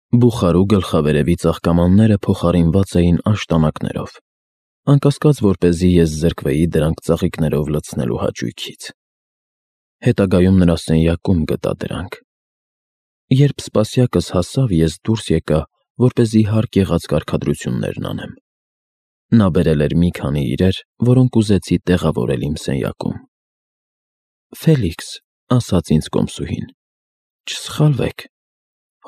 Բուխարու գլխավերևի ծաղկամանները փոխարինված էին աշտանակներով, անկասկած որպեսզի ես զրկվեի դրանք ծաղիկներով լցնելու հաճույքից։ Հետագայում նրա սենյակում գտա դրանք։ Երբ սպասյակս հասավ, ես դուրս եկա, որպեսզի հարկ եղած կարգադրություններն անեմ։ Նա բերել էր մի քանի իրեր, որոնք ուզեցի տեղավորել իմ սենյակում։ «Ֆելիքս», ասաց ինձ կոմսուհին, «չսխալվեք,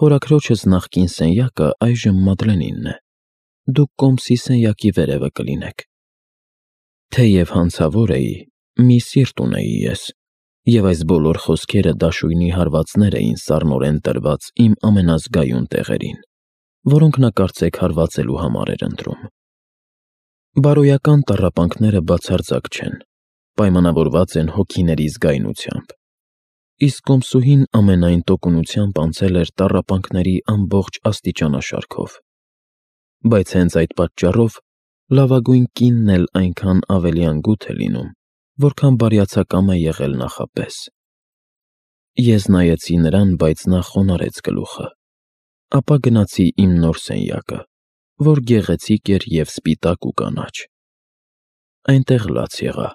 հորաքրոջս նախկին սենյակը այժմ Մադլենինն է, դուք կոմսի սենյակի վերևը կլինեք»։ Թեև հանցավոր էի, մի սիրտ ունեի ես, և այս բոլոր խոսքերը դաշույնի հարվածներ էին սառնորեն տրված իմ ամենազգայուն տեղերին, որոնք նա կարծեք հարվածելու համար էր ընտրում։ Բարոյական տառապանքները բացարձակ չեն, պայմանավորված են հոգիների զգայունությամբ, իսկ կոմսուհին ամենայն տոկունությամբ անցել էր տառապանքների ամբողջ աստիճանաշարքով։ Բայց հենց այդ պատճառով լավագույն կինն էլ այնքան ավելի անգութ է լինում, որքան բարյացակամ է եղել նախապես։ Ես նայեցի նրան, բայց նա խոնարհեց գլուխը, ապա գնացի իմ նոր սենյակը, որ գեղեցիկ էր և սպիտակ ու կանաչ։ Այնտեղ լաց եղա։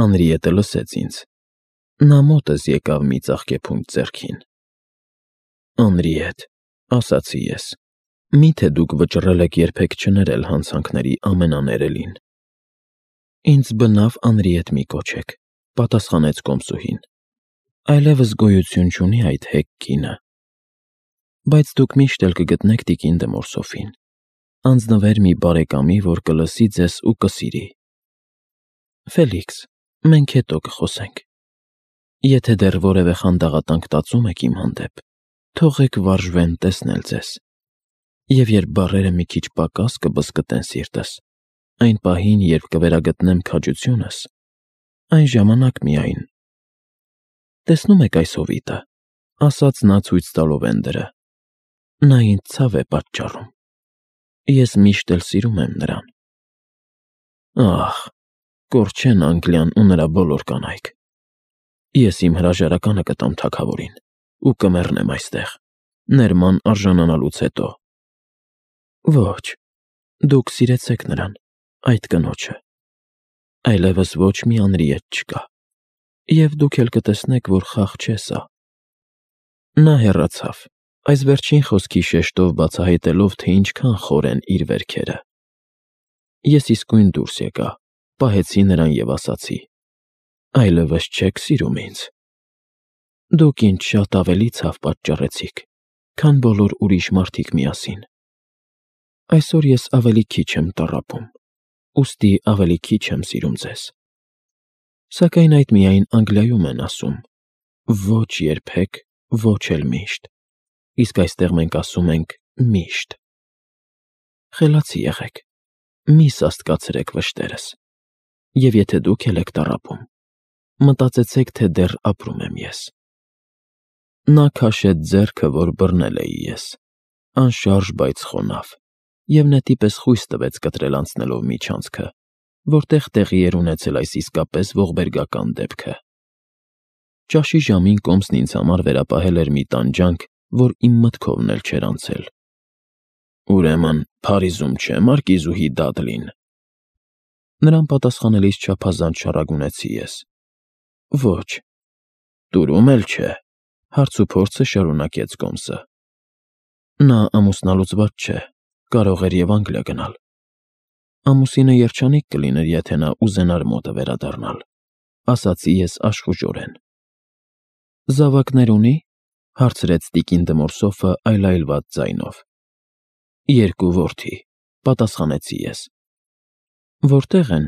Անրիետը լսեց ինձ։ Նա մոտս եկավ մի ծաղկեփունջ ձեռքին։ «Անրիետ», ասացի ես, «միթե դուք վճռել եք երբեք չներել հանցանքների ամենաներելին»։ «Ինձ բնավ Անրիետ մի կոչեք», պատասխանեց կոմսուհին, «այլևս գոյություն չունի այդ հեգ կինը։ Բայց դուք միշտ էլ կգտնեք տիկին դե Մորսոֆին, անձնվեր մի բարեկամի, որ կլսի ձեզ ու կսիրի։ Ֆելիքս, մենք հետո կխոսենք։ Եթե դեռ որևէ խանդաղատանք տածում եք իմ հանդեպ, թողեք վարժվեն տեսնել ձեզ, և երբ բառերը մի քիչ պակաս կբզկտեն սիրտս, այն պահին, երբ կվերագտնեմ քաջությունս, այն ժամանակ միայն։ Տեսնում եք այս հովիտը, ասաց նա ցույց տալով Էնդերը, նա ինձ ցավ է պատճառում։ Ես միշտ էլ սիրում եմ նրան։ Ահ, կորչեն Անգլիան ու նրա բոլոր կանայք։ Ես իմ հրաժարականը կտամ թագավորին ու կմեռնեմ այստեղ, ներման արժանանալուց հետո։ Ոչ, դուք սիրեցեք նրան, այդ կնոջը։ Այլևս ոչ մի Անրիետ չկա, և դուք էլ կտեսնեք, որ խաղ չէ սա։ Նա հեռացավ, այս վերջին խոսքի շեշտով բացահայտելով, թե ինչքան խոր են իր վերքերը։ Ես իսկույն դուրս եկա, պահեցի նրան և ասացի. «Այլևս չեք սիրում ինձ։ Դուք ինձ շատ ավելի ցավ պատճառեցիք, քան բոլոր ուրիշ մարդիկ միասին։ Այսօր ես ավելի քիչ եմ տառապում, ուստի ավելի քիչ եմ սիրում ձեզ։ Սակայն այդ միայն Անգլիայում են ասում. ոչ երբեք, ոչ էլ միշտ, իսկ այստեղ մենք ասում ենք միշտ։ Խելացի եղեք, մի սաստկացրեք վշտերս, և եթե դուք էլ եք տառապում, մտածեցեք, թե դեռ ապրում եմ ես»։ Նա քաշեց ձեռքը, որ բռնել էի ես, անշարժ, բայց խոնավ, և նետի պես խույս տվեց կտրել անցնելով միջանցքը, որտեղ տեղի էր ունեցել այս իսկապես ողբերգական դեպքը։ Ճաշի ժամին կոմսն ինձ համար վերապահել էր մի տանջանք, որ իմ մտքովն էլ չէր անցել։ «Ուրեմն Փարիզում չէ մարկիզուհի Դադլին»։ Նրան պատասխանելիս չափազանց շառագունեցի ես։ Ոչ։ Տուրում էլ չէ, հարցուփորձը շարունակեց կոմսը։ Նա ամուսնալուծված չէ, կարող էր և Անգլիա գնալ։ Ամուսինը երջանիկ կլիներ, եթե նա ուզենար մոտը վերադառնալ, ասացի ես աշխուժորեն։ Զավակներ ունի, հարցրեց տիկին դե Մորսոֆը այլայլված ձայնով։ Երկու որդի, պատասխանեցի ես։ Որտեղ են։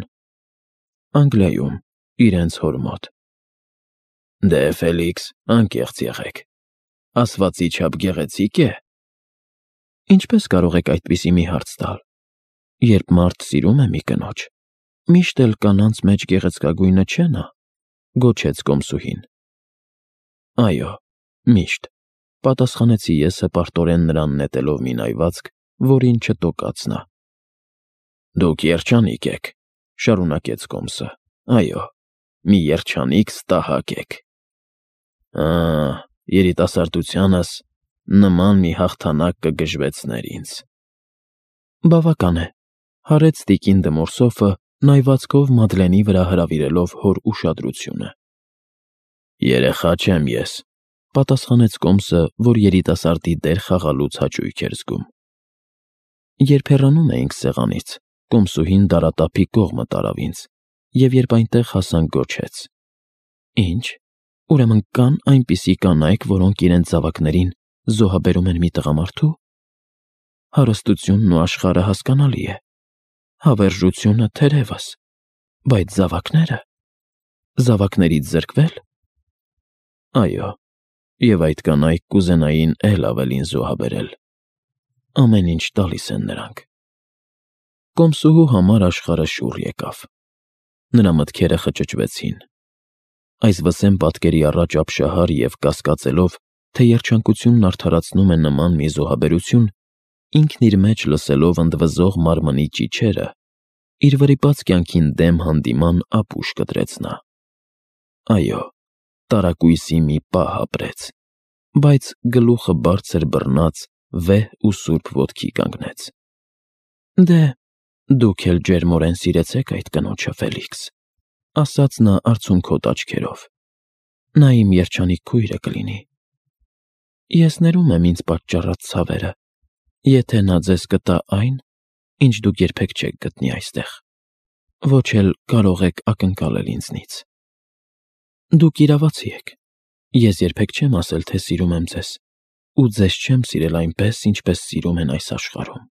Անգլիայում, իրենց հոր մոտ։ Դե Ֆելիքս, անկեղծ եղեք, ասվածի չափ գեղեցիկ է։ Ինչպես կարող եք այդպիսի մի հարց տալ, երբ մարդ սիրում է մի կնոջ, միշտ էլ կանանց մեջ գեղեցկագույնը չէ նա, գոչեց կոմսուհին։ Այո, միշտ, պատասխանեցի ես հպարտորեն նրան նետելով մի նայվածք, որին չտոկաց նա։ Դուք երջանիկ եք, շարունակեց կոմսը, այո, մի երջանիկ ստահակ եք։ Երիտասարդությանս նման մի հաղթանակ կգժվեցներ ինձ։ Բավական է, հարեց տիկին Դմորսոֆը, նայվածքով Մադլենի վրա հրավիրելով հոր ուշադրությունը։ Երեխա չեմ ես, պատասխանեց Կոմսը, որ երիտասարդի դեր խաղալուց հաճույք էր զգում։ Երբ հեռանում էինք սեղանից, Կոմսուհին դարատափի կողմը տարավ ինձ, և երբ այնտեղ հասանք, գոչեց. Ինչ, ուրեմն կան այնպիսի կանայք, որոնք իրենց զավակներին զոհաբերում են մի տղամարդու։ Հարստությունն ու աշխարհը հասկանալի է, հավերժությունը թերևս, բայց զավակներից զրկվել։ Այո, և այդ կանայք կուզենային էլ ավելին զոհաբերել։ Ամեն ինչ տալիս են նրանք։ Կոմսուհու համար աշխարհը շուռ եկավ։ Նրա մտքերը խճճվեցին։ Այս վսեմ պատկերի առաջ ապշահար և կասկածելով, թե երջանկությունն արդարացնում է նման մի զոհաբերություն, ինքն իր մեջ լսելով ընդվզող մարմնի ճիչերը, իր վրիպած կյանքին դեմ հանդիման ապուշ կտրեց նա։ Այո, տարակույսի մի պահ ապրեց, բայց գլուխը բարձր բռնած վեհ ու սուրբ ոտքի կանգնեց։ Դե, դուք էլ ջերմորեն սիրեցեք այդ կնոջը, Ֆելիքս, ասաց նա արցունքոտ աչքերով։ Նա իմ երջանիկ քույրը կլինի։ Ես ներում եմ ինձ պատճառած ցավերը, եթե նա ձեզ կտա այն, ինչ դուք երբեք չեք գտնի այստեղ, ոչ էլ կարող եք ակնկալել ինձնից։ Դուք իրավացի եք, ես երբեք չեմ ասել, թե սիրում եմ ձեզ, ու ձեզ չեմ սիրել այնպես, ինչպես սիրում են այս աշխարհում։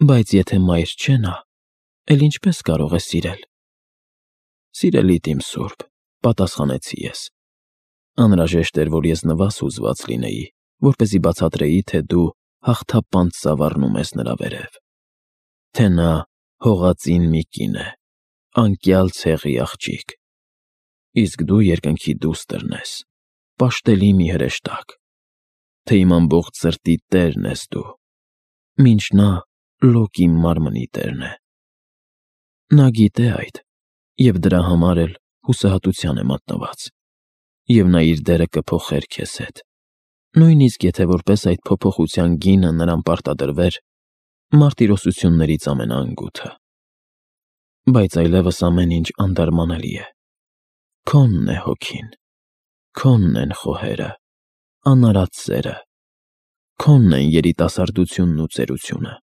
Բայց եթե մայր չէ նա, էլ ինչպես կարող է սիրել։ Սիրելիդ իմ սուրբ, պատասխանեցի ես։ Անհրաժեշտ էր, որ ես նվազ հուզված լինեի, որպեսզի բացատրեի, թե դու հաղթապանծ ծավառնում ես նրա վերև, թե նա հողածին մի կին է, անկյալ ցեղի աղջիկ, իսկ դու երկնքի դուստրն ես, պաշտելի մի հրեշտակ, թե իմ ամբողջ սրտի տերն ես դու, մինչ նա լոկ իմ մարմնի տերն է։ Նա գիտե այդ, և դրա համար էլ հուսահատության է մատնված, և նա իր դերը կփոխեր քեզ հետ, նույնիսկ եթե որպես այդ փոփոխության գինը նրան պարտադրվեր մարտիրոսություններից ամենաանգութը։ Բայց այլևս ամեն ինչ անդարմանելի է։ Քոնն է հոգին, քոնն են խոհերը, անարատ սերը, քոնն են երիտասարդությունն ու ծերությունը։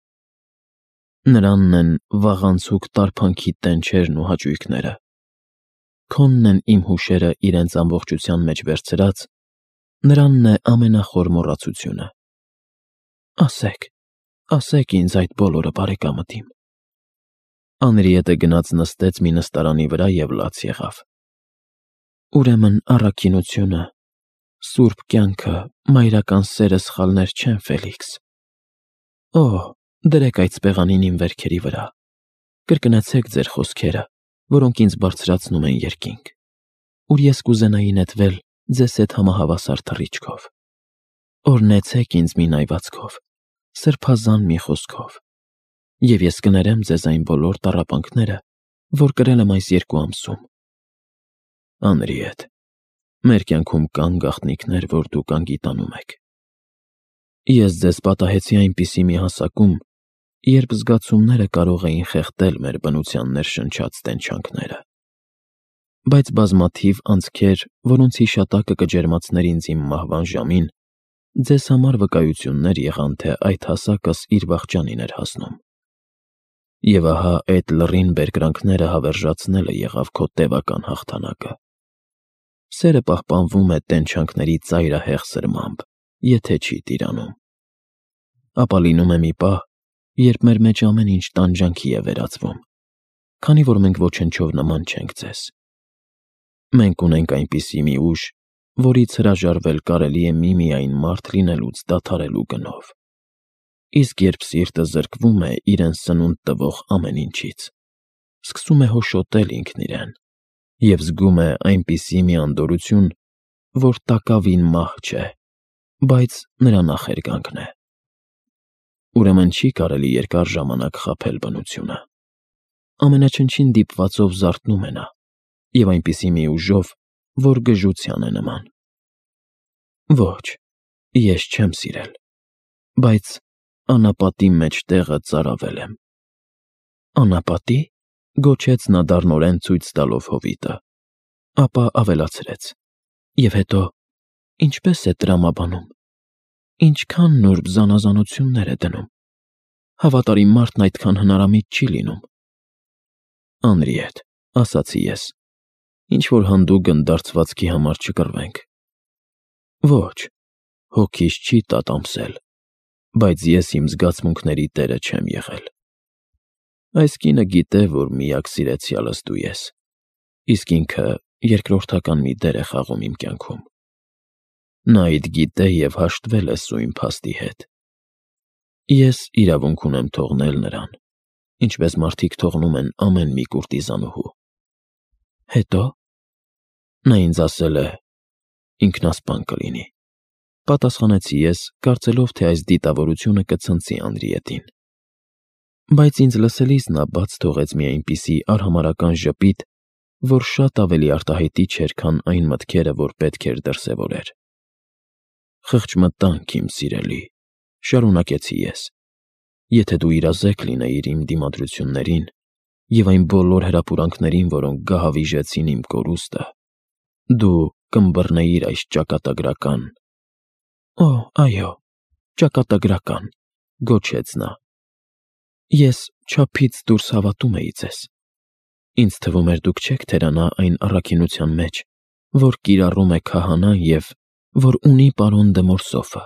Նրանն են վաղանցուկ տարփանքի տենչերն ու հաճույքները, քոնն են իմ հուշերը իրենց ամբողջության մեջ վերցրած, նրանն է ամենախոր մոռացությունը։ Ասեք ինձ այդ բոլորը, բարեկամըտիմ։ Անրիետը գնաց նստեց մի նստարանի վրա և լաց եղավ։ Ուրեմն առաքինությունը, սուրբ կյանքը, մայրական սերը սխալներ չեն, Ֆելիքս։ Օ, դրեք այդ սպեղանին իմ վերքերի վրա, կրկնեցեք ձեր խոսքերը, որոնք ինձ բարձրացնում են երկինք, ուր ես կուզենայի նետվել ձեզ հետ համահավասար թռիչքով։ Օրհնեցեք ինձ մի նայվածքով, սրբազան մի խոսքով, և ես կներեմ ձեզ այն բոլոր տառապանքները, որ կրել եմ այս 2 ամսում։ Անրիետ, մեր կյանքում կան գաղտնիքներ, որ դուք անգիտանում եք։ Ես ձեզ պատահեցի այնպիսի մի հասակում, երբ զգացումները կարող էին խեղդել մեր բնության ներշնչած տենչանքները։ Բայց բազմաթիվ անցքեր, որոնց հիշատակը կջերմացներ ինձ իմ մահվան ժամին, ձեզ համար վկայություններ եղան, թե այդ հասակս իր վախճանին էր հասնում։ Եվ ահա այդ լռին բերկրանքները հավերժացնելը եղավ քո տևական հաղթանակը։ Սերը պահպանվում է տենչանքների ծայրահեղ սրմամբ, եթե չի տիրանում։ Ապա լինում է մի պահ, երբ մեր մեջ ամեն ինչ տանջանքի է վերածվում, քանի որ մենք ոչնչով նման չենք ձեզ։ Մենք ունենք այնպիսի մի ուժ, որից հրաժարվել կարելի է միմիայն մարդ լինելուց դադարելու գնով։ Իսկ երբ սիրտը զրկվում է իրեն սնունդ տվող ամեն ինչից, սկսում է հոշոտել ինքն իրեն և զգում է այնպիսի մի անդորրություն, որ տակավին մահ չէ, բայց նրա նախերգանքն է։ Ուրեմն չի կարելի երկար ժամանակ խաբել բնությունը։ Ամենաչնչին դիպվածով զարթնում է նա, և այնպիսի մի ուժով, որ գժության է նման։ Ոչ, Ես չեմ սիրել, բայց անապատի մեջ տեղը ծարավել եմ։ Անապատի՞, գոչեց նա դառնորեն ցույց տալով հովիտը, ապա ավելացրեց. Եվ հետո, ինչպես է տրամաբանում, ինչքան նուրբ զանազանություններ է դնում, հավատարիմ մարդն այդքան հնարամիտ չի լինում։ Անրիետ, ասացի ես, ինչ-որ հանդու գնդարձվածքի համար չկռվենք։ Ոչ, հոգիս չի տատամսել, բայց ես իմ զգացմունքների տերը չեմ եղել։ Այս կինը գիտե, որ միակ սիրեցյալս դու ես, իսկ ինքը երկրորդական մի դեր է խաղում իմ կյանքում։ Նա այդ գիտե և հաշտվել է սույն փաստի հետ։ Ես իրավունք ունեմ թողնել նրան, ինչպես մարդիկ թողնում են ամեն մի կուրտիզանուհու։ Հետո նա ինձ ասել է. ինքնասպան կլինի, պատասխանեցի ես, կարծելով, թե այս դիտավորությունը կցնցի Անրիետին։ Բայց ինձ լսելիս նա բաց թողեց մի այնպիսի արհամարհական ժպիտ, որ շատ ավելի արտահայտիչ էր, քան այն մտքերը, որ պետք էր դրսևորեր։ Խղճմտանք, իմ սիրելի, շարունակեցի ես, եթե դու իրազեկ լինեիր իմ դիմադրություններին և այն բոլոր հրապուրանքներին, որոնք գահավիժեցին իմ կորուստը, դու կըմբռնեիր այս ճակատագրական… Օ, այո, ճակատագրական, գոչեց նա։ Ես չափից դուրս հավատում էի ձեզ։ Ինձ թվում էր դուք չեք թերանա այն առաքինության մեջ, որ կիրառում է քահանան և որ ունի պարոն դը Մորսոֆը,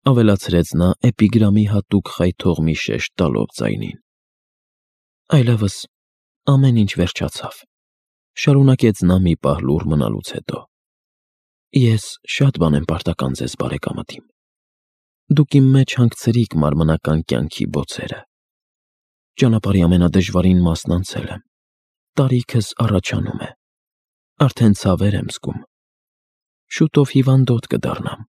ավելացրեց նա էպիգրամի հատուկ խայթող մի շեշտ տալով ձայնին։ Այլևս ամեն ինչ վերջացավ, շարունակեց նա մի պահ լուռ մնալուց հետո։ Ես շատ բան եմ պարտական ձեզ, բարեկամդ իմ։ Դուք իմ մեջ հանգցրիք մարմնական կյանքի բոցերը։ Ճանապարհի ամենադժվարին մասն անցել եմ, տարիքս առաջանում է, արդեն ցավեր եմ զգում։ Շուտով հիվանդոտ կդառնամ։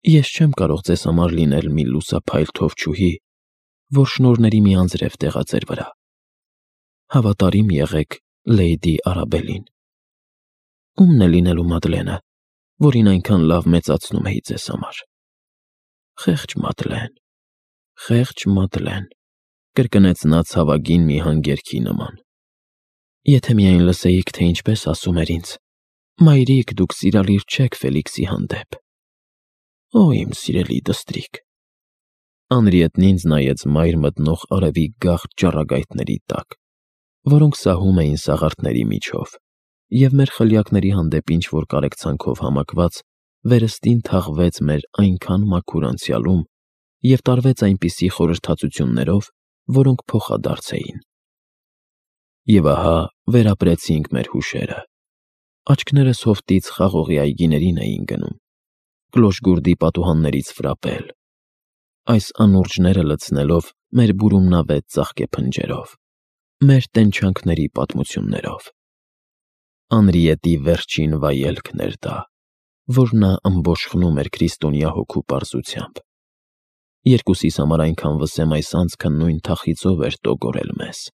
Ես չեմ կարող ձեզ համար լինել մի լուսափայլ թովչուհի, որ շնորհների մի անձրև տեղա ձեր վրա։ Հավատարիմ եղեք Լեյդի Արաբելին։ Ո՞ւմն է լինելու Մադլենը, որին այնքան լավ մեծացնում էի ձեզ համար։ Խեղճ Մադլեն, խեղճ Մադլեն, կրկնեց նա ցավագին մի հանգերքի նման։ Եթե միայն լսեիք, թե ինչպես ասում էր ինձ. «Մայրիկ, դուք սիրալիր չեք Ֆելիքսի հանդեպ»։ Օ, իմ սիրելի դստրիկ։ Անրիետն ինձ նայեց մայր մտնող արևի գաղ ճառագայթների տակ, որոնք սահում էին սաղարթների միջով, և մեր խլյակների հանդեպ ինչ-որ կարեկցանքով համակված վերստին թաղվեց մեր այնքան մաքուր անցյալում և տարվեց այնպիսի խորհրդածություններով, որոնք փոխադարձ էին։ Եվ ահա վերապրեցինք մեր հուշերը։ Աչքներս հովտից խաղողի այգիներին էին գնում, Կլոշգուրդի պատուհաններից ֆրապել, այս անուրջները լցնելով մեր բուրումնավետ ծաղկեփնջերով, մեր տենչանքների պատմություններով։ Անրիետի վերջին վայելքն էր դա, որ նա ըմբոշխնում էր քրիստոնյա հոգու պարզությամբ։ Երկուսիս համար այնքան վսեմ այս անցքը նույն թախիծով էր տոգորել մեզ։